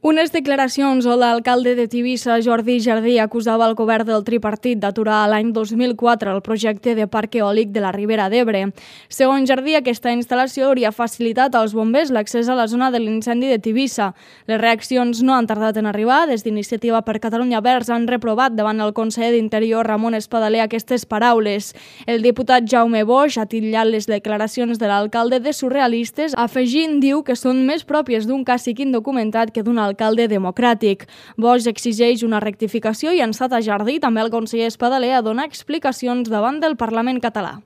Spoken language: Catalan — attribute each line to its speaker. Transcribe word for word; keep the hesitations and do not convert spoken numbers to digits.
Speaker 1: Unes declaracions on l'alcalde de Tivissa, Jordi Jardí, acusava el govern del tripartit d'aturar l'any dos mil quatre el projecte de parc eòlic de la Ribera d'Ebre. Segons Jardí, aquesta instal·lació hauria facilitat als bombers l'accés a la zona de l'incendi de Tivissa. Les reaccions no han tardat en arribar. Des d'Iniciativa per Catalunya Verds han reprovat davant el conseller d'Interior, Ramon Espadaler, aquestes paraules. El diputat Jaume Boix ha titllat les declaracions de l'alcalde de surrealistes, afegint, diu, que són més pròpies d'un càssic indocumentat que d'un alcalde democràtic. Boix exigeix una rectificació i ha instat a Jardí, també el conseller Espadaler, a donar explicacions davant del Parlament català.